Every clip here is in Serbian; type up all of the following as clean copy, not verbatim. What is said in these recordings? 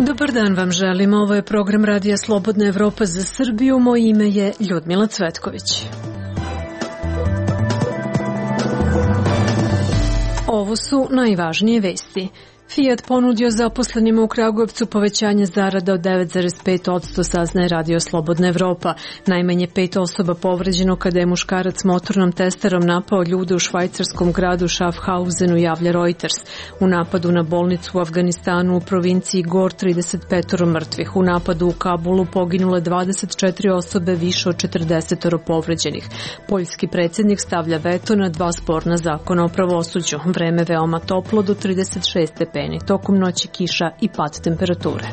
Dobar dan vam želim, ovo je program Radija Slobodna Evropa za Srbiju, moje ime je Ljudmila Cvetković. Ovo su najvažnije vesti. Fiat ponudio zaposlenima u Kragujevcu povećanje zarada od 9,5%, saznaje Radio Slobodna Evropa. Najmanje 5 osoba povređeno kada je muškarac motornom testerom napao ljude u švajcarskom gradu Schaffhausenu, javlja Reuters. U napadu na bolnicu u Afganistanu u provinciji Gor 35 mrtvih. U napadu u Kabulu poginule 24 osobe, više od 40 povređenih. Poljski predsjednik stavlja veto na 2 sporna zakona o pravosuđu. Vreme veoma toplo do 36 stepeni. Tokom noći kiša i pad temperature.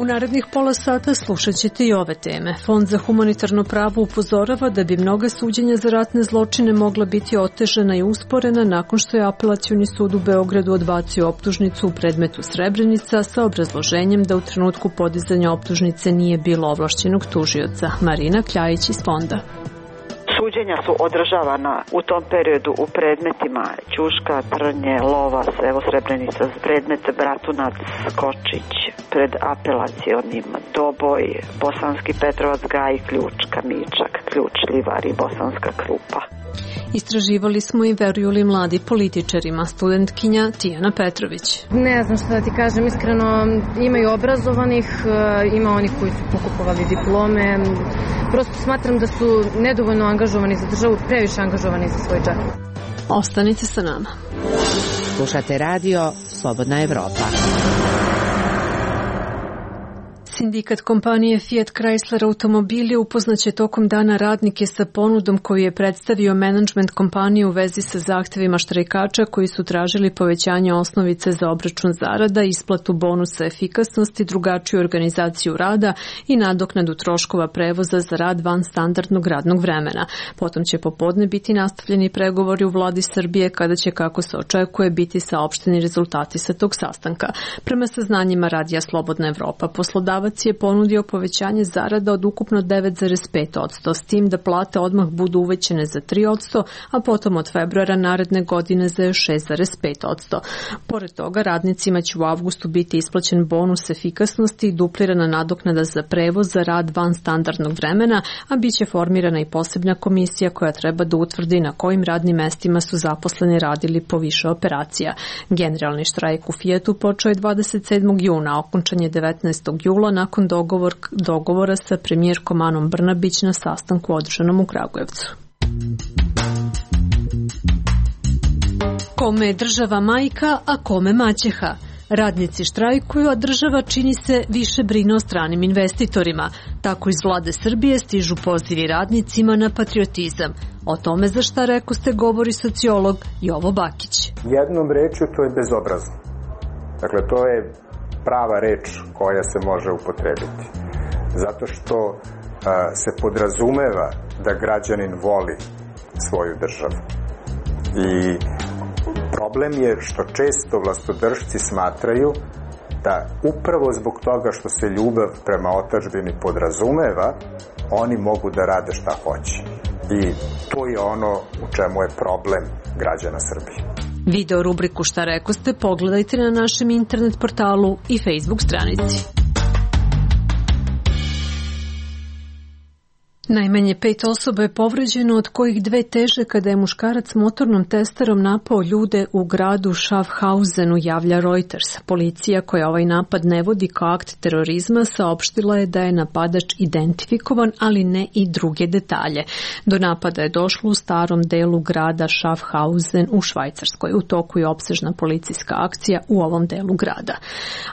U narednih pola sata slušat ćete i ove teme. Fond za humanitarno pravo upozorava da bi mnoga suđenja za ratne zločine mogla biti otežana i usporena nakon što je Apelacioni sud u Beogradu odbacio optužnicu u predmetu Srebrenica sa obrazloženjem da u trenutku podizanja optužnice nije bilo ovlašćenog tužioca. Marina Kljajić iz fonda. Suđenja su održavana u tom periodu u predmetima Ćuška, Trnje, Lovas, evo Srebrenica, predmet Bratunac, Kočić, pred apelacionim Doboj, Bosanski Petrovac, Gaj, Ključ, Kamičak, Ključ, Livar i Bosanska Krupa. Istraživali smo i veruju li mladi političarima, studentkinja Tijana Petrović. Ne znam što da ti kažem, iskreno ima i obrazovanih, ima onih koji su pokupovali diplome. Prosto smatram da su nedovoljno angažovani za državu, previše angažovani za svoj džep. Ostanite sa nama. Slušate radio Slobodna Evropa. Sindikat kompanije Fiat Chrysler automobili upoznaće tokom dana radnike sa ponudom koju je predstavio menadžment kompanije u vezi sa zahtevima štrajkača koji su tražili povećanje osnovice za obračun zarada, isplatu bonusa efikasnosti, drugačiju organizaciju rada i nadoknadu troškova prevoza za rad van standardnog radnog vremena. Potom će popodne biti nastavljeni pregovori u vladi Srbije kada će, kako se očekuje, biti saopšteni rezultati sa tog sastanka. Prema saznanjima Radija Slobodna Evropa, poslodavac je ponudio povećanje zarada od ukupno 9,5%, s tim da plate odmah budu uvećene za 3%, a potom od februara naredne godine za 6,5%. Pored toga, radnicima će u avgustu biti isplaćen bonus efikasnosti i duplirana nadoknada za prevoz za rad van standardnog vremena, a bit će formirana i posebna komisija koja treba da utvrdi na kojim radnim mestima su zaposleni radili po više operacija. Generalni štrajk u Fiatu počeo je 27. juna, okončan je 19. jula nakon dogovora sa premijerkom Anom Brnabić na sastanku održanom u Kragujevcu. Kome je država majka, a kome maćeha? Radnici štrajkuju, a država, čini se, više brine o stranim investitorima. Tako iz vlade Srbije stižu pozivi radnicima na patriotizam. O tome za šta rekoste govori sociolog Jovo Bakić. Jednom rečju to je bezobrazno. Dakle, to je prava reč koja se može upotrebiti. Zato što se podrazumeva da građanin voli svoju državu. I problem je što često vlastodržci smatraju da upravo zbog toga što se ljubav prema otadžbini podrazumeva, oni mogu da rade šta hoće. I to je ono u čemu je problem građana Srbije. Video rubriku Šta rekoste pogledajte na našem internet portalu i Facebook stranici. Najmanje 5 osoba je povređeno, od kojih 2 teže kada je muškarac motornom testerom napao ljude u gradu Schaffhausenu, javlja Reuters. Policija, koja ovaj napad ne vodi kao akt terorizma, saopštila je da je napadač identifikovan, ali ne i druge detalje. Do napada je došlo u starom delu grada Schaffhausen u Švajcarskoj. U toku je opsežna policijska akcija u ovom delu grada.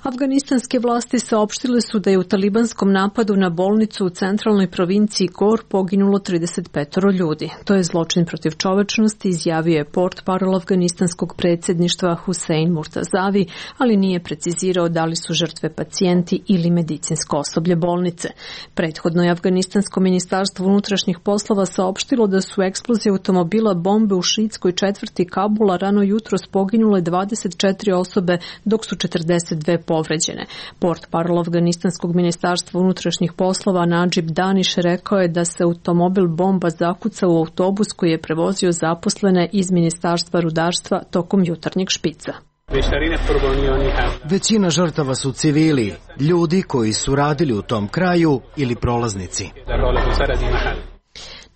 Afganistanske vlasti saopštile su da je u talibanskom napadu na bolnicu u centralnoj provinciji poginulo 35 ljudi. To je zločin protiv čovečnosti, izjavio je portparol afganistanskog predsjedništva Husein Murtazavi, ali nije precizirao da li su žrtve pacijenti ili medicinsko osoblje bolnice. Prethodno je afganistansko ministarstvo unutrašnjih poslova saopštilo da su eksplozije automobila bombe u šiitskoj četvrti Kabula rano jutros poginule 24 osobe, dok su 42 povređene. Portparol afganistanskog ministarstva unutrašnjih poslova Nadžib Daniš rekao je da se automobil bomba zakucao u autobus koji je prevozio zaposlene iz Ministarstva rudarstva tokom jutarnjeg špica. Većina žrtava su civili, ljudi koji su radili u tom kraju ili prolaznici.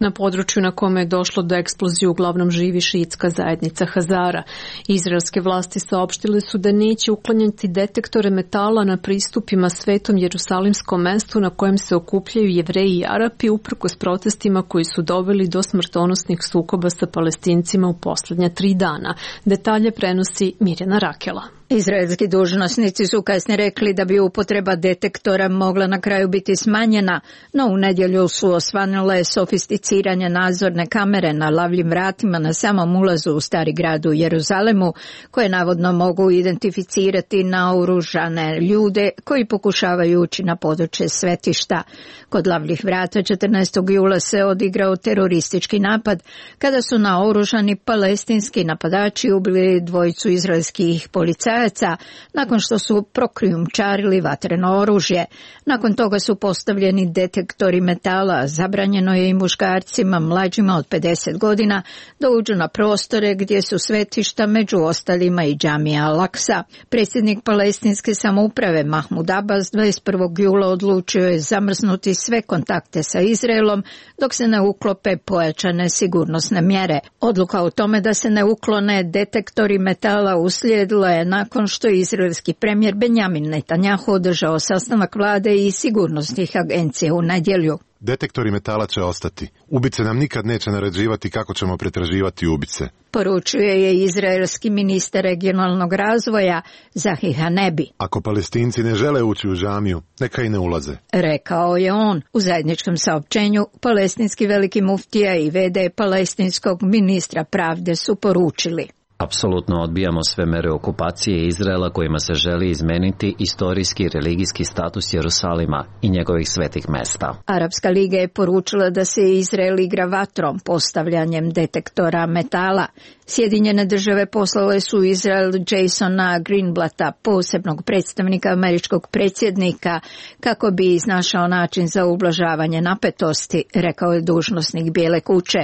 Na području na kome je došlo do eksplozije uglavnom živi šiitska zajednica Hazara. Izraelske vlasti saopštile su da neće uklanjati detektore metala na pristupima Svetom Jerusalimskom mestu na kojem se okupljaju Jevreji i Arapi uprkos protestima koji su doveli do smrtonosnih sukoba sa Palestincima u posljednja 3 dana. Detalje prenosi Mirjana Rakela. Izraelski dužnosnici su kasnije rekli da bi upotreba detektora mogla na kraju biti smanjena, no u nedjelju su osvanule sofisticiranje nadzorne kamere na lavljim vratima na samom ulazu u stari grad u Jeruzalemu, koje navodno mogu identificirati naoružane ljude koji pokušavaju ući na područje svetišta. Kod lavljih vrata 14. jula se odigrao teroristički napad kada su naoružani palestinski napadači ubili 2 izraelskih policajaca nakon što su prokrijumčarili vatreno oružje. Nakon toga su postavljeni detektori metala. Zabranjeno je i muškarcima mlađima od 50 godina da uđu na prostore gdje su svetišta, među ostalima i džamija Al-Aksa. Predsjednik palestinske samouprave Mahmud Abbas 21. jula odlučio je zamrznuti sve kontakte sa Izraelom dok se ne uklope pojačane sigurnosne mjere. Odluka o tome da se ne uklone detektori metala uslijedila je nakon što je izraelski premijer Benjamin Netanjahu održao sastanak vlade i sigurnosnih agencija u nedjelju. Detektori metala će ostati. Ubice nam nikad neće naređivati kako ćemo pretraživati ubice. Poručuje je izraelski ministar regionalnog razvoja Zahi Hanebi. Ako Palestinci ne žele ući u džamiju, neka i ne ulaze. Rekao je on. U zajedničkom saopćenju palestinski veliki muftija i v.d. palestinskog ministra pravde su poručili: Apsolutno odbijamo sve mere okupacije Izraela kojima se želi izmeniti istorijski i religijski status Jerusalima i njegovih svetih mesta. Arapska liga je poručila da se Izrael igra vatrom postavljanjem detektora metala. Sjedinjene države poslale su u Izrael Jasona Greenblata, posebnog predstavnika američkog predsjednika, kako bi iznašao način za ublažavanje napetosti, rekao je dužnosnik Bijele kuće.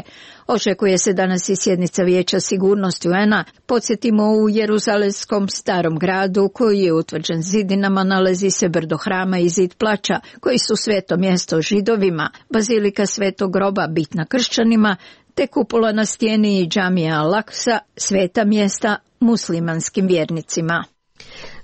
Očekuje se danas i sjednica Vijeća sigurnosti UN-a. Podsjetimo, u Jeruzalemskom starom gradu, koji je utvrđen zidinama, nalazi se brdo hrama i zid plača, koji su sveto mjesto Židovima, bazilika Svetog groba bitna kršćanima, te kupola na stijeni i džamija Al-Aksa, sveta mjesta muslimanskim vjernicima.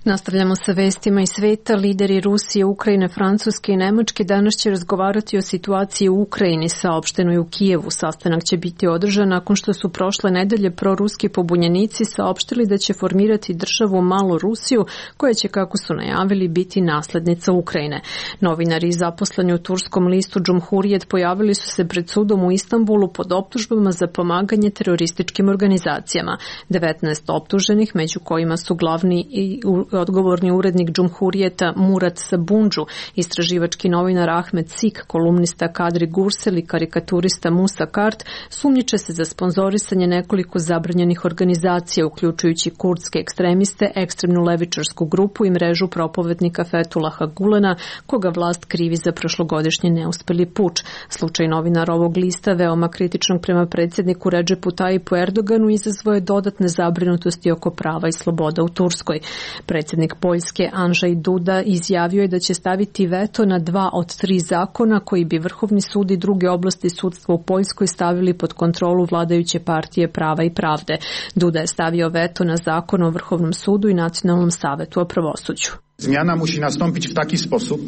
Nastavljamo sa vestima iz sveta. Lideri Rusije, Ukrajine, Francuske i Nemačke danas će razgovarati o situaciji u Ukrajini, saopšteno je u Kijevu. Sastanak će biti održan nakon što su prošle nedelje proruski pobunjenici saopštili da će formirati državu Malu Rusiju, koja će, kako su najavili, biti naslednica Ukrajine. Novinari zaposleni u turskom listu Cumhuriyet pojavili su se pred sudom u Istanbulu pod optužbama za pomaganje terorističkim organizacijama. 19 optuženih, među kojima su glavni i odgovorni urednik Cumhuriyeta Murat Sabundžu, istraživački novinar Ahmed Sik, kolumnista Kadri Gursel i karikaturista Musa Kart, sumnjiče se za sponzorisanje nekoliko zabranjenih organizacija, uključujući kurdske ekstremiste, ekstremnu levičarsku grupu i mrežu propovednika Fetulaha Gulena, koga vlast krivi za prošlogodišnji neuspeli puč. Slučaj novinara ovog lista, veoma kritičnog prema predsjedniku Redžepu Tajipu Erdoganu, izazvao je dodatne zabrinutosti oko prava i sloboda u Turskoj. Predsjednik Poljske Andrzej Duda izjavio je da će staviti veto na 2 od 3 zakona koji bi Vrhovni sud i druge oblasti sudstva u Poljskoj stavili pod kontrolu vladajuće partije Prava i pravde. Duda je stavio veto na zakon o Vrhovnom sudu i Nacionalnom savetu o pravosuđu. Zmiana musi nastąpić w taki sposób.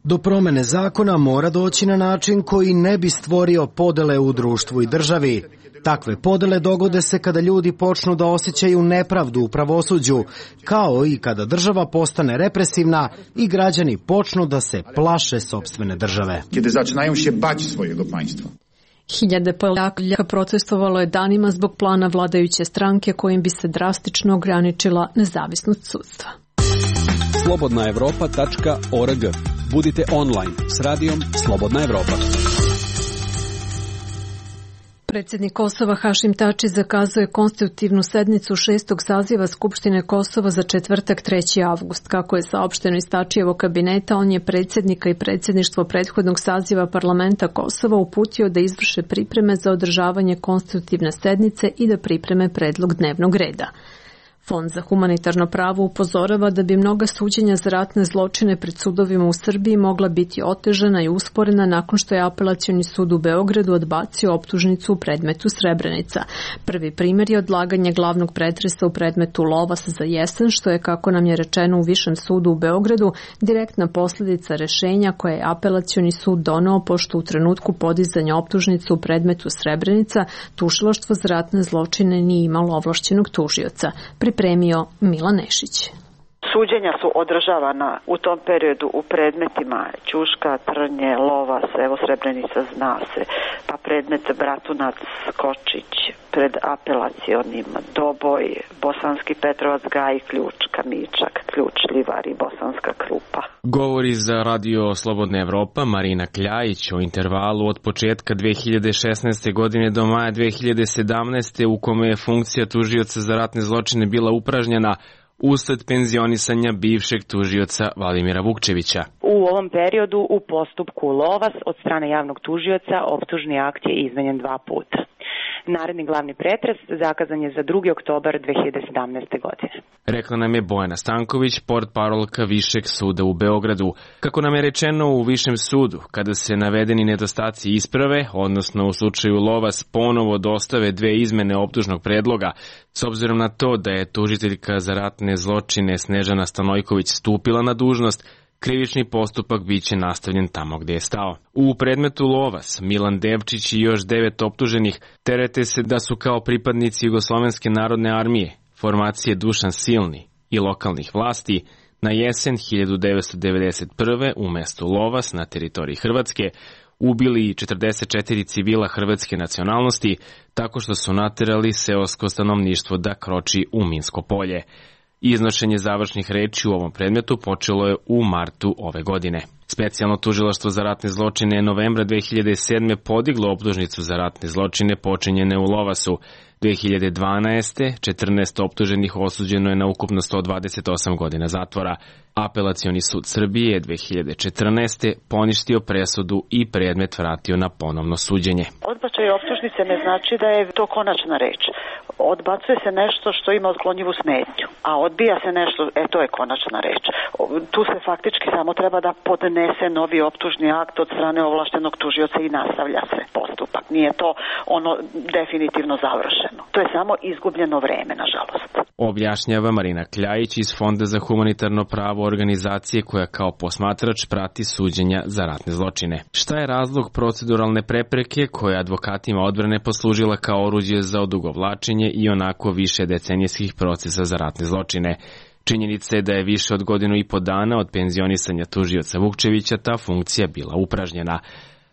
Do promene zakona mora doći na način koji ne bi stvorio podele u društvu i državi. Takve podele dogode se kada ljudi počnu da osjećaju nepravdu u pravosuđu, kao i kada država postane represivna i građani počnu da se plaše sopstvene države. Kiedy zaczynają się bać swojego państwa. Hiljade Poljaka protestovalo je danima zbog plana vladajuće stranke kojim bi se drastično ograničila nezavisnost sudstva. slobodnaevropa.org. Budite online s radijom Slobodna Evropa. Predsjednik Kosova Hašim Tači zakazuje konstitutivnu sednicu 6. saziva Skupštine Kosova za četvrtak 3. avgust. Kako je saopšteno iz Tačijevog kabineta, on je predsjednika i predsjedništvo prethodnog saziva parlamenta Kosova uputio da izvrše pripreme za održavanje konstitutivne sednice i da pripreme predlog dnevnog reda. Fond za humanitarno pravo upozorava da bi mnoga suđenja za ratne zločine pred sudovima u Srbiji mogla biti otežana i usporena nakon što je Apelacioni sud u Beogradu odbacio optužnicu u predmetu Srebrenica. Prvi primjer je odlaganje glavnog pretresa u predmetu Lovas za jesen, što je, kako nam je rečeno u Višem sudu u Beogradu, direktna posljedica rešenja koje je Apelacioni sud doneo pošto u trenutku podizanja optužnice u predmetu Srebrenica tužilaštvo za ratne zločine nije imalo ovlašćenog tužioca. Pripremio Milan Nešić. Suđenja su održavana u tom periodu u predmetima Ćuška, Trnje, Lovas, evo Srebrenica zna se, pa predmet Bratunac, Kočić, pred apelacionim Doboj, Bosanski Petrovac, Gaj, Ključ, Kamičak, Ključ, Livar i Bosanska Krupa. Govori za Radio Slobodna Evropa Marina Kljajić o intervalu od početka 2016. godine do maja 2017. u kome je funkcija tužioca za ratne zločine bila upražnjena usled penzionisanja bivšeg tužioca Vladimira Vukčevića. U ovom periodu u postupku Lovas od strane javnog tužioca optužni akt je izmenjen 2 puta. Naredni glavni pretres zakazan je za 2. oktobar 2017. godine. Rekla nam je Bojana Stanković, portparolka Višeg suda u Beogradu. Kako nam je rečeno u Višem sudu, kada se navedeni nedostaci isprave, odnosno u slučaju Lovas ponovo dostave 2 izmene optužnog predloga, s obzirom na to da je tužiteljka za ratne zločine Snežana Stanojković stupila na dužnost, krivični postupak biće nastavljen tamo gde je stao. U predmetu Lovas, Milan Devčić i još 9 optuženih terete se da su kao pripadnici Jugoslovenske narodne armije, formacije Dušan Silni i lokalnih vlasti na jesen 1991. u mestu Lovas na teritoriji Hrvatske ubili 44 civila hrvatske nacionalnosti tako što su naterali seosko stanovništvo da kroči u minsko polje. Iznošenje završnih reči u ovom predmetu počelo je u martu ove godine. Specijalno tužilaštvo za ratne zločine je novembra 2007. podiglo optužnicu za ratne zločine počinjene u Lovasu. 2012. 14 optuženih osuđeno je na ukupno 128 godina zatvora. Apelacioni sud Srbije je 2014. poništio presudu i predmet vratio na ponovno suđenje. Odbačaj optužnice ne znači da je to konačna reč. Odbacuje se nešto što ima otklonjivu smetnju, a odbija se nešto, to je konačna reč. Tu se faktički samo treba da podnese novi optužni akt od strane ovlaštenog tužioca i nastavlja se postupak. Nije to ono definitivno završeno. To je samo izgubljeno vreme, nažalost. Objašnjava Marina Kljajić iz Fonda za humanitarno pravo organizacije koja kao posmatrač prati suđenja za ratne zločine. Šta je razlog proceduralne prepreke koja advokatima odbrane poslužila kao oruđe za odugovlačenje i onako više decenijskih procesa za ratne zločine? Činjenica je da je više od 1,5 dana od penzionisanja tužioca Vukčevića ta funkcija bila upražnjena.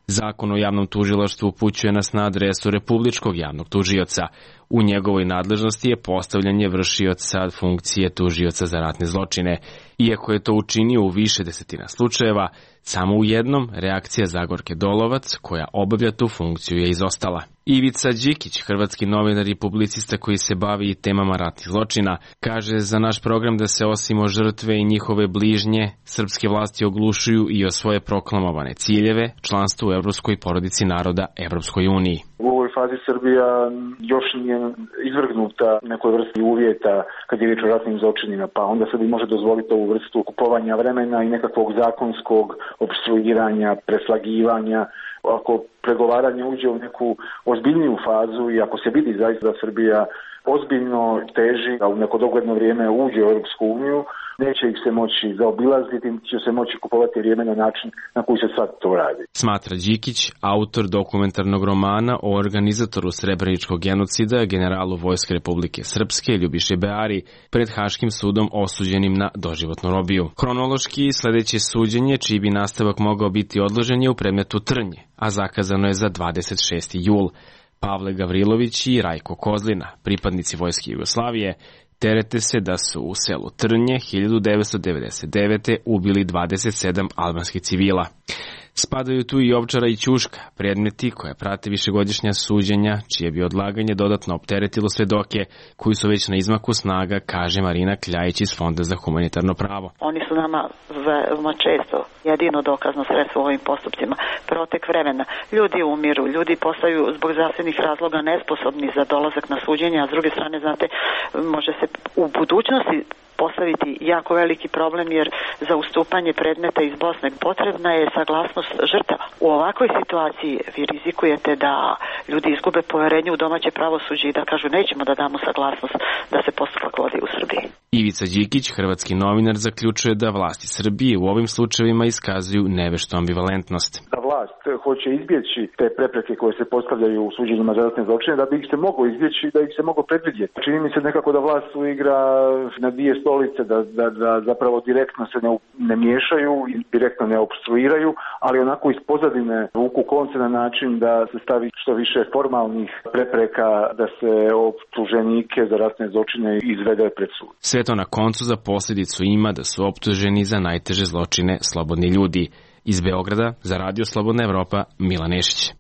Zakon o javnom tužilaštvu upućuje nas na adresu Republičkog javnog tužioca. U njegovoj nadležnosti je postavljanje vršioca funkcije tužioca za ratne zločine. Iako je to učinio u više desetina slučajeva, samo u jednom reakcija Zagorke Dolovac, koja obavlja tu funkciju, je izostala. Ivica Đikić, hrvatski novinar i publicista koji se bavi temama ratnih zločina, kaže za naš program da se osim o žrtve i njihove bližnje, srpske vlasti oglušuju i o svoje proklamovane ciljeve, članstvo u evropskoj porodici naroda, Evropskoj uniji. U ovoj fazi Srbija još nije izvrgnuta nekoj vrsti uvjeta kad je riječ o ratnim zločinima, pa onda sebi može dozvoliti ovu vrstu kupovanja vremena i nekakvog zakonskog opstruiranja, preslagivanja. Ako pregovaranje uđe u neku ozbiljniju fazu i ako se vidi zaista da Srbija ozbiljno teži, a u neko dogledno vrijeme uđe u Europsku uniju, neće ih se moći zaobilaziti, će se moći kupovati vrijeme na način na koji se sad to radi. Smatra Đikić, autor dokumentarnog romana o organizatoru srebreničkog genocida, generalu Vojske Republike Srpske Ljubiše Beari, pred Haškim sudom osuđenim na doživotnu robiju. Hronološki sledeće suđenje, čiji bi nastavak mogao biti odložen, je u predmetu Trnje, a zakazano je za 26. jul. Pavle Gavrilović i Rajko Kozlina, pripadnici Vojske Jugoslavije, terete se da su u selu Trnje 1999. ubili 27 albanskih civila. Spadaju tu i Ovčara i Ćuška, predmeti koje prate višegodišnja suđenja, čije bi odlaganje dodatno opteretilo svedoke, koji su već na izmaku snaga, kaže Marina Kljajić iz Fonda za humanitarno pravo. Oni su nama veoma često jedino dokazno sredstvo u ovim postupcima. Protek vremena. Ljudi umiru, ljudi postaju zbog zdravstvenih razloga nesposobni za dolazak na suđenje, a s druge strane, znate, može se u budućnosti postaviti jako veliki problem, jer za ustupanje predmeta iz Bosne potrebna je saglasnost žrtava. U ovakvoj situaciji vi rizikujete da ljudi izgube poverenje u domaće pravosuđe i da kažu nećemo da damo saglasnost da se postupak vodi u Srbiji. Ivica Đikić, hrvatski novinar, zaključuje da vlasti Srbije u ovim slučajevima iskazuju neveštu ambivalentnost. Da vlast hoće izbjeći te prepreke koje se postavljaju u suđenjima za ratne zločine, da bi ih se moglo izbjeći, da ih se moglo predvidjeti. Čini mi se nekako da vlast igra na dvije stolice, da zapravo direktno se ne miješaju i direktno ne opstruiraju, ali onako iz pozadine vuku konce na način da se stavi što više formalnih prepreka da se optuženike za ratne zločine izvede pred sud. Sve to na koncu za posljedicu ima da su optuženi za najteže zločine slobodni ljudi. Iz Beograda za Radio Slobodna Evropa, Milan Nešić.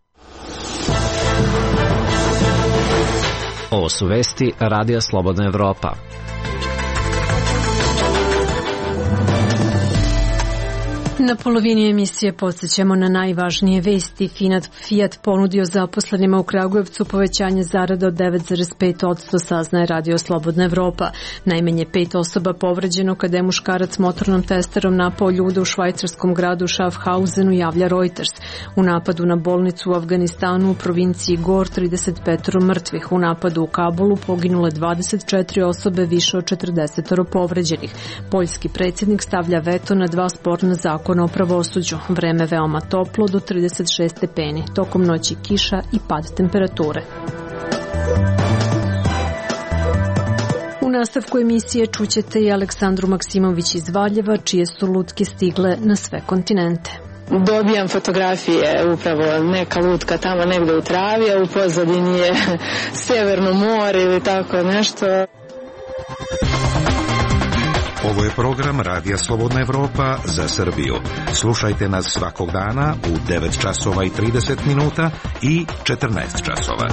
Ovo su vesti Radija Slobodna Evropa. Na polovini emisije podsjećamo na najvažnije vesti. Fiat ponudio zaposlenima u Kragujevcu povećanje zarada od 9,5%, saznaje Radio Slobodna Evropa. Najmanje 5 osoba povređeno kada je muškarac motornom testerom napao ljude u švajcarskom gradu Schaffhausenu, javlja Reuters. U napadu na bolnicu u Afganistanu u provinciji Gor 35 mrtvih. U napadu u Kabulu poginule 24 osobe, više od 40 povređenih. Poljski predsjednik stavlja veto na 2 sporna zakona o pravosuđu. Vreme veoma toplo do 36 stepeni. Tokom noći kiša i pad temperature. U nastavku emisije čućete i Aleksandru Maksimović iz Valjeva, čije su lutke stigle na sve kontinente. Dobijam fotografije, upravo neka lutka tamo negde u travi, a u pozadini je Severno more ili tako nešto. Ovo je program Radija Slobodna Evropa za Srbiju. Slušajte nas svakog dana u 9 časova i 30 minuta i 14 časova.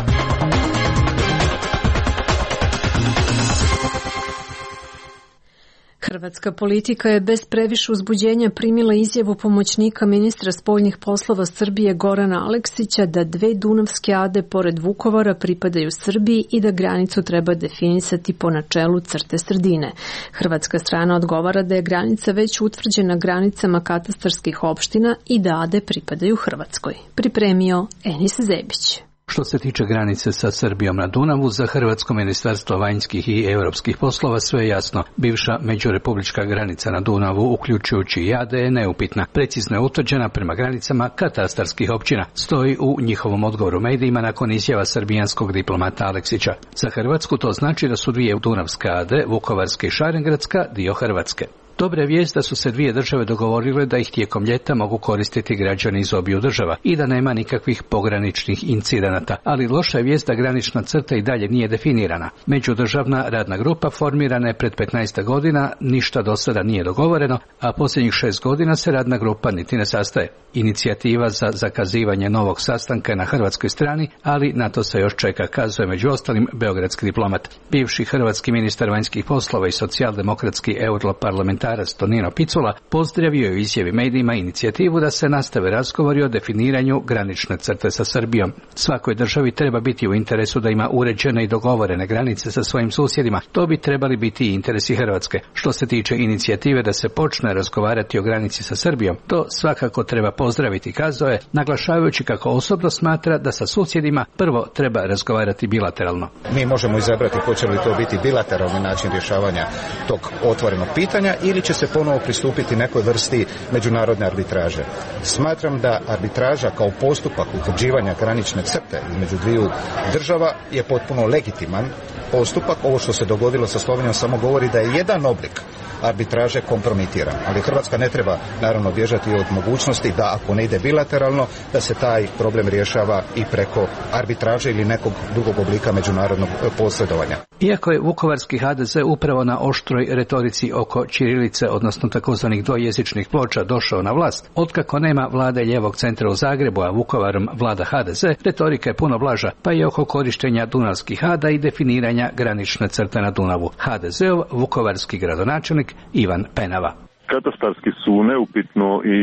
Hrvatska politika je bez previše uzbuđenja primila izjavu pomoćnika ministra spoljnih poslova Srbije Gorana Aleksića da 2 dunavske ade pored Vukovara pripadaju Srbiji i da granicu treba definisati po načelu crte sredine. Hrvatska strana odgovara da je granica već utvrđena granicama katastarskih opština i da ade pripadaju Hrvatskoj. Pripremio Enis Zebić. Što se tiče granice sa Srbijom na Dunavu, za Hrvatsko ministarstvo vanjskih i europskih poslova sve je jasno. Bivša međurepublička granica na Dunavu, uključujući i Ade, je neupitna. Precizno je utvrđena prema granicama katastarskih općina. Stoji u njihovom odgovoru medijima nakon izjava srbijanskog diplomata Aleksića. Za Hrvatsku to znači da su 2 dunavske Ade, Vukovarska i Šarengradska, dio Hrvatske. Dobra je vijest da su se 2 države dogovorile da ih tijekom ljeta mogu koristiti građani iz obiju država i da nema nikakvih pograničnih incidenata, ali loša je vijest da granična crta i dalje nije definirana. Međudržavna radna grupa formirana je pred 15 godina, ništa do sada nije dogovoreno, a posljednjih 6 godina se radna grupa niti ne sastaje. Inicijativa za zakazivanje novog sastanka je na hrvatskoj strani, ali na to se još čeka, kazuje među ostalim beogradski diplomat. Bivši hrvatski ministar vanjskih poslova i socijaldemokratski europarlamentarac Tonino Picula pozdravio je u izjavi medijima inicijativu da se nastave razgovori o definiranju granične crte sa Srbijom. Svakoj državi treba biti u interesu da ima uređene i dogovorene granice sa svojim susjedima. To bi trebali biti i interesi Hrvatske. Što se tiče inicijative da se počne razgovarati o granici sa Srbijom, to svakako treba pozdraviti, kazao je, naglašavajući kako osobno smatra da sa susjedima prvo treba razgovarati bilateralno. Mi možemo izabrati hoće li to biti bilateralni način rješavanja tog otvorenog pitanja ili će se ponovo pristupiti nekoj vrsti međunarodne arbitraže. Smatram da arbitraža kao postupak utvrđivanja granične crte između 2 država je potpuno legitiman postupak. Ovo što se dogodilo sa Slovenijom samo govori da je jedan oblik arbitraže kompromitiran. Ali Hrvatska ne treba naravno bježati od mogućnosti da ako ne ide bilateralno, da se taj problem rješava i preko arbitraže ili nekog drugog oblika međunarodnog posredovanja. Iako je vukovarski HDZ upravo na oštroj retorici oko ćirilice, odnosno takozvanih dvojezičnih ploča, došao na vlast, otkako nema vlade lijevog centra u Zagrebu, a Vukovarom vlada HDZ, retorika je puno blaža, pa i oko korištenja dunavskih ada i definiranja granične crte na Dunavu. HDZ-ov vukovarski gradonačelnik Ivan Penava. Katastarski su neupitno i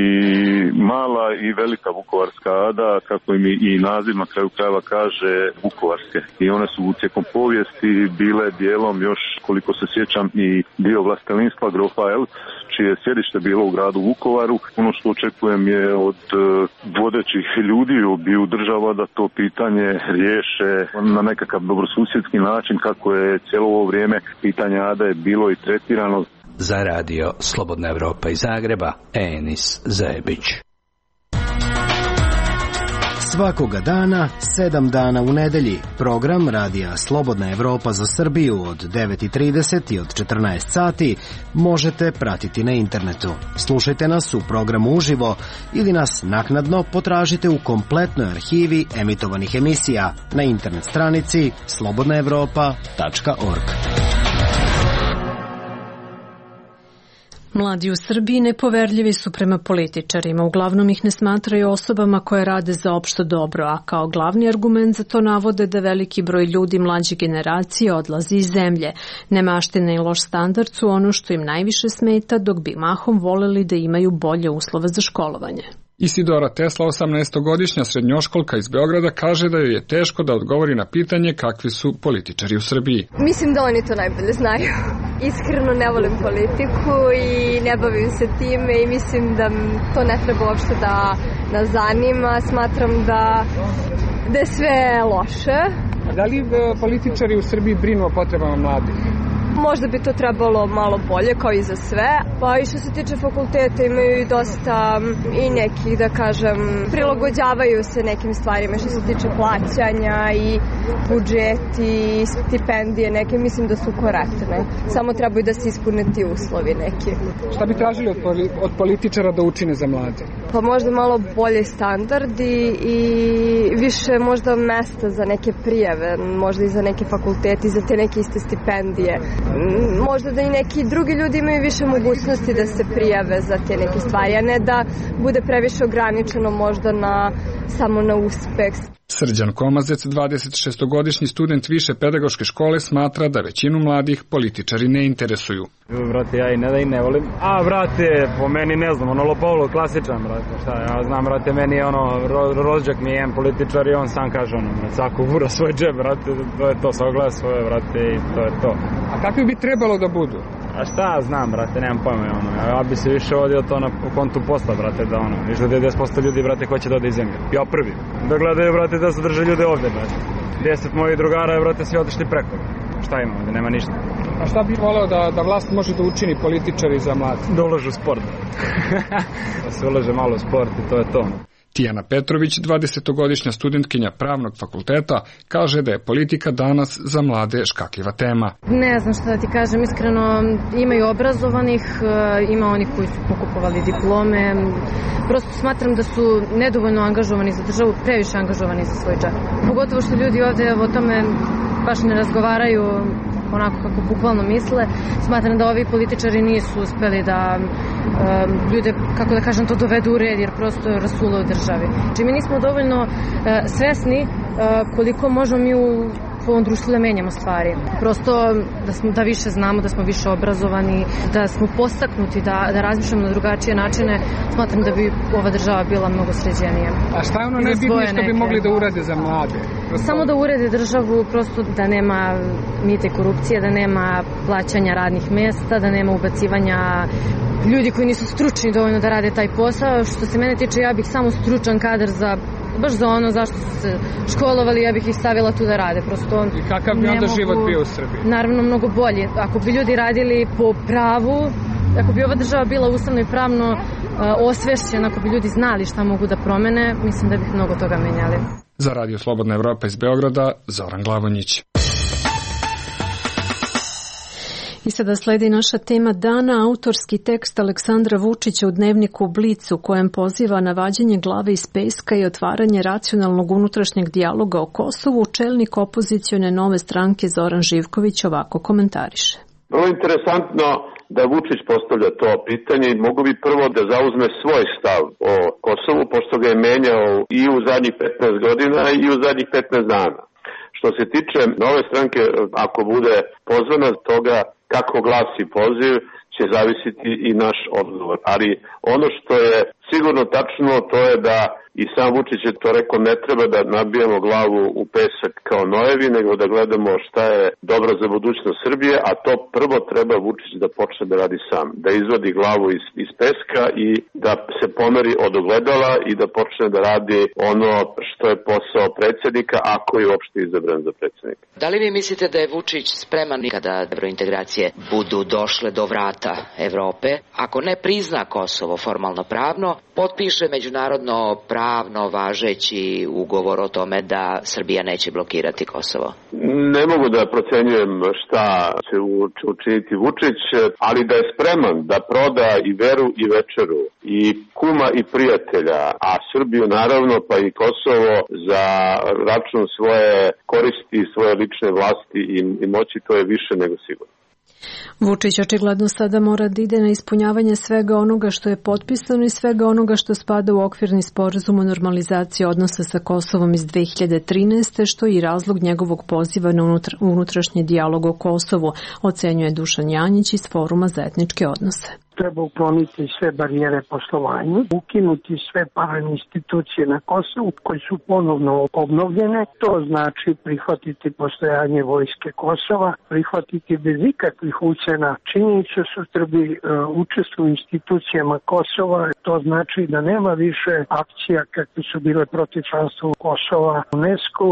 mala i velika vukovarska ada, kako im i naziv na kraju krajeva kaže, vukovarske. I one su tijekom povijesti bile dijelom još, koliko se sjećam, i dio vlastelinstva grofa Elc, čije je sjedište bilo u gradu Vukovaru. Ono što očekujem je od vodećih ljudi obiju država da to pitanje riješe na nekakav dobrosusjedski način, kako je cijelo ovo vrijeme pitanje ada je bilo i tretirano. Za radio Slobodna Evropa iz Zagreba, Enis Zebić. Svakoga dana, 7 dana u nedelji, program radija Slobodna Evropa za Srbiju od 9:30 i od 14 sati možete pratiti na internetu. Slušajte nas u programu uživo ili nas naknadno potražite u kompletnoj arhivi emitovanih emisija na internet stranici slobodnaevropa.org. Mladi u Srbiji nepoverljivi su prema političarima, uglavnom ih ne smatraju osobama koje rade za opšto dobro, a kao glavni argument za to navode da veliki broj ljudi mlađe generacije odlazi iz zemlje. Nemaština i loš standard su ono što im najviše smeta, dok bi mahom voleli da imaju bolje uslove za školovanje. Isidora Tesla, 18-godišnja srednjoškolka iz Beograda, kaže da joj je teško da odgovori na pitanje kakvi su političari u Srbiji. Mislim da oni to najbolje znaju. Iskreno ne volim politiku i ne bavim se time i mislim da to ne treba uopšte da nas zanima. Smatram da je sve loše. Da li političari u Srbiji brinu o potrebama mladih? Možda bi to trebalo malo bolje, kao i za sve. Pa i što se tiče fakulteta imaju i dosta i nekih, da kažem, prilagođavaju se nekim stvarima što se tiče plaćanja i budžeti i stipendije neke, mislim da su korektne. Samo trebaju da se ispune ti uslovi neki. Šta bi tražili od političara da učine za mlade? Pa možda malo bolje standardi i više možda mesta za neke prijave, možda i za neke fakultete i za te neke iste stipendije. Možda da i neki drugi ljudi imaju više mogućnosti da se prijave za te neke stvari, a ne da bude previše ograničeno možda samo na uspeh. Srđan Komazec, 26-godišnji student više pedagoške škole, smatra da većinu mladih političari ne interesuju. Brate, ja i ne volim. A, brate, po meni ne znam, Lopavlo, klasičan, brate, šta, ja znam, brate, meni je rođak mi je jedan političar i on sam kaže brate, svako gura svoj džep, brate, to je to, sagleda svoje, brate, i to je to. A kakvi bi trebalo da budu? A šta znam, brate, nemam pojma, ja bi se više vodio to na kontu posla, brate, da više da 10% ljudi, brate, hoće da ode iz zemlje. Ja prvi. Da gledaju, brate, da zadrže ljude ovdje, brate. 10 mojih drugara, brate, svi otišli preko. Šta ima ovdje, nema ništa. A šta bi voleo da vlast može da učini političari za mlade? Da ulažu u sport. Da se ulaže malo u sport i to je to. Tijana Petrović, 20-godišnja studentkinja pravnog fakulteta, kaže da je politika danas za mlade škakljiva tema. Ne znam šta da ti kažem, iskreno imaju obrazovanih, ima oni koji su pokupovali diplome. Prosto smatram da su nedovoljno angažovani za državu, previše angažovani za svoj džep. Pogotovo što ljudi ovdje o tome baš ne razgovaraju onako kako bukvalno misle. Smatram da ovi političari nisu uspeli da ljude, kako da kažem, to dovedu u red, jer prosto je rasulo u državi. Či mi nismo dovoljno svesni koliko možemo mi u ovom društvu da menjamo stvari. Prosto da više znamo, da smo više obrazovani, da smo postaknuti, da razmišljamo na drugačije načine, smatram da bi ova država bila mnogo sređenija. A šta je ono najbitnije što bi mogli da urade za mlade? Samo da urede državu, prosto da nema mita i korupcije, da nema plaćanja radnih mesta, da nema ubacivanja ljudi koji nisu stručni dovoljno da rade taj posao. Što se mene tiče, ja bih samo stručan kadar baš za ono zašto su se školovali, ja bih ih stavila tu da rade. Prosto i kakav bi onda život bio u Srbiji? Naravno, mnogo bolje. Ako bi ljudi radili po pravu, ako bi ova država bila ustavno i pravno osvešćena, ako bi ljudi znali šta mogu da promene, mislim da bih mnogo toga menjali. Za Radio Slobodna Evropa iz Beograda, Zoran Glavonjić. I sada sledi naša tema dana, autorski tekst Aleksandra Vučića u dnevniku Blic u kojem poziva na vađenje glave iz peska i otvaranje racionalnog unutrašnjeg dijaloga o Kosovu. Čelnik opozicione Nove stranke Zoran Živković ovako komentariše. Vrlo interesantno da Vučić postavlja to pitanje i mogu bi prvo da zauzme svoj stav o Kosovu, pošto ga je menjao i u zadnjih 15 godina i u zadnjih 15 dana. Što se tiče Nove stranke, ako bude pozvana toga kako glasi poziv, će zavisiti i naš odgovor. Ali ono što je sigurno tačno, to je da i sam Vučić je to rekao, ne treba da nabijamo glavu u pesak kao nojevi, nego da gledamo šta je dobro za budućnost Srbije, a to prvo treba Vučić da počne da radi sam, da izvadi glavu iz peska i da se pomeri od ogledala i da počne da radi ono što je posao predsjednika, ako je uopšte izabran za predsjednika. Da li vi mislite da je Vučić spreman kada evrointegracije budu došle do vrata Evrope, ako ne prizna Kosovo formalno pravno, potpiše međunarodno pravno važeći ugovor o tome da Srbija neće blokirati Kosovo? Ne mogu da procenjujem šta će učiniti Vučić, ali da je spreman da proda i veru i večeru i kuma i prijatelja, a Srbiju naravno pa i Kosovo za račun svoje koristi, svoje lične vlasti i moći, to je više nego sigurno. Vučić očigledno sada mora da ide na ispunjavanje svega onoga što je potpisano i svega onoga što spada u okvirni sporazum o normalizaciji odnosa sa Kosovom iz 2013. što je i razlog njegovog poziva na unutrašnji dijalog o Kosovu, ocenjuje Dušan Janjić iz Foruma za etničke odnose. Treba ukloniti sve barijere poslovanju, ukinuti sve parainstitucije na Kosovu koje su ponovno obnovljene. To znači prihvatiti postojanje vojske Kosova, prihvatiti bez ikakvih ucena činjenicu su Srbi učestvuju u institucijama Kosova. To znači da nema više akcija kakve su bile protiv članstva Kosova, UNESCO,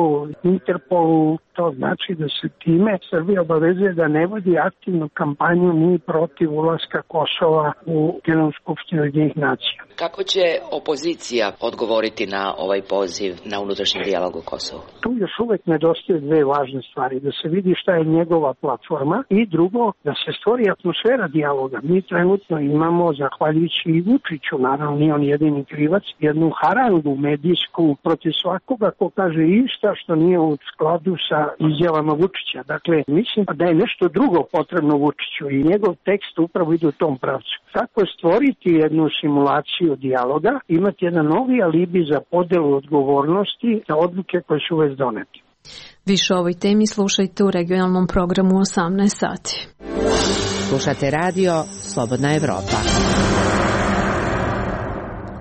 Interpolu. To znači da se time Srbija obavezuje da ne vodi aktivnu kampanju ni protiv ulaska Kosova u Generalnu skupštinu Ujedinjenih nacija. Kako će opozicija odgovoriti na ovaj poziv na unutrašnji dijalog o Kosovu? Tu još uvek nedostaju dve važne stvari. Da se vidi šta je njegova platforma i drugo, da se stvori atmosfera dijaloga. Mi trenutno imamo, zahvaljujući i Vučiću, naravno nije on jedini krivac, jednu harangu medijsku protiv svakoga ko kaže išta što nije u skladu sa izjavama Vučića. Dakle, mislim da je nešto drugo potrebno Vučiću i njegov tekst upravo ide u tom pravcu. Kako stvoriti jednu simulaciju dijaloga, imati jedan novi alibi za podelu odgovornosti za odluke koje su već donete. Više o ovoj temi slušajte u regionalnom programu 18 sati. Slušate radio Slobodna Evropa.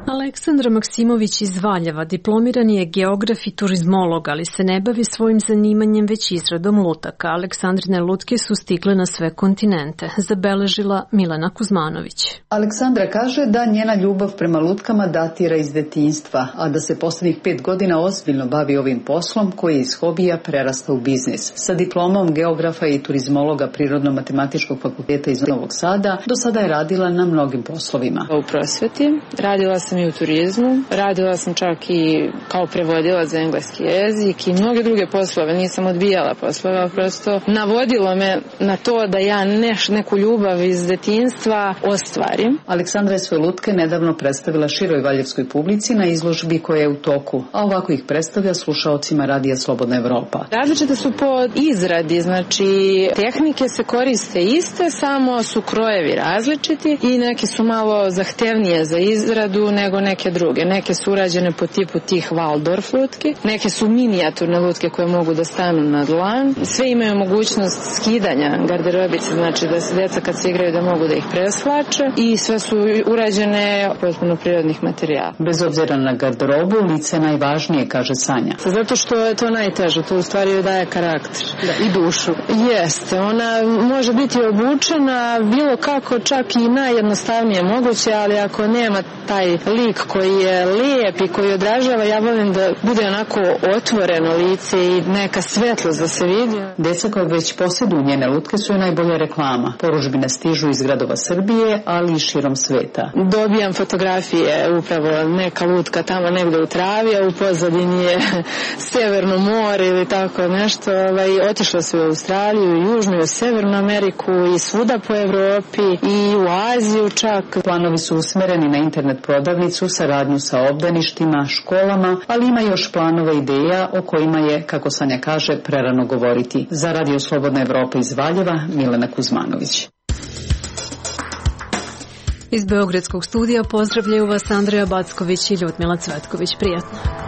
Aleksandra Maksimović iz Valjeva diplomirani je geograf i turizmolog, ali se ne bavi svojim zanimanjem već izradom lutaka. Aleksandrine lutke su stigle na sve kontinente, zabeležila Milena Kuzmanović. Aleksandra kaže da njena ljubav prema lutkama datira iz detinjstva, a da se posljednjih 5 godina ozbiljno bavi ovim poslom koji je iz hobija prerastao u biznis. Sa diplomom geografa i turizmologa Prirodno-matematičkog fakulteta iz Novog Sada do sada je radila na mnogim poslovima. U prosveti radila sam i u turizmu, radila sam čak i kao prevodilac za engleski jezik i mnoge druge poslove, nisam odbijala poslove, prosto navodilo me na to da ja neku ljubav iz detinjstva ostvarim. Aleksandra je svoje lutke nedavno predstavila široj valjevskoj publici na izložbi koja je u toku, a ovako ih predstavlja slušaocima radija Slobodna Evropa. Različite su po izradi, znači tehnike se koriste iste, samo su krojevi različiti i neke su malo zahtevnije za izradu nego neke druge. Neke su urađene po tipu tih Waldorf lutki, neke su minijaturne lutke koje mogu da stanu na dlan. Sve imaju mogućnost skidanja garderobice, znači da se deca kad se igraju da mogu da ih preslače i sve su urađene potpuno prirodnih materijala. Bez obzira na garderobu, lice je najvažnije, kaže Sanja. Zato što je to najteže, to u stvari joj daje karakter i dušu. Jeste, ona može biti obučena bilo kako, čak i najjednostavnije moguće, ali ako nema taj lik koji je lijep i koji odražava, ja volim da bude onako otvoreno lice i neka svetlost da se vidi. Deca koja već posjeduju njene lutke su joj najbolja reklama. Poručbine stižu iz gradova Srbije, ali i širom sveta. Dobijam fotografije, upravo neka lutka tamo negde u travi, a u pozadini je Severno more ili tako nešto. Otišla su u Australiju, u Južnu, u Severnu Ameriku i svuda po Evropi i u Aziju čak. Planovi su usmereni na internet prodavnicu, saradnju sa obdaništima, školama, ali ima još planova ideja o kojima je, kako Sanja kaže, prerano govoriti. Za Radio Slobodna Evropa iz Valjeva, Milena Kuzmanović. Iz Beogradskog studija pozdravljaju vas Andreja Backović i Ljudmila Cvetković. Prijatno.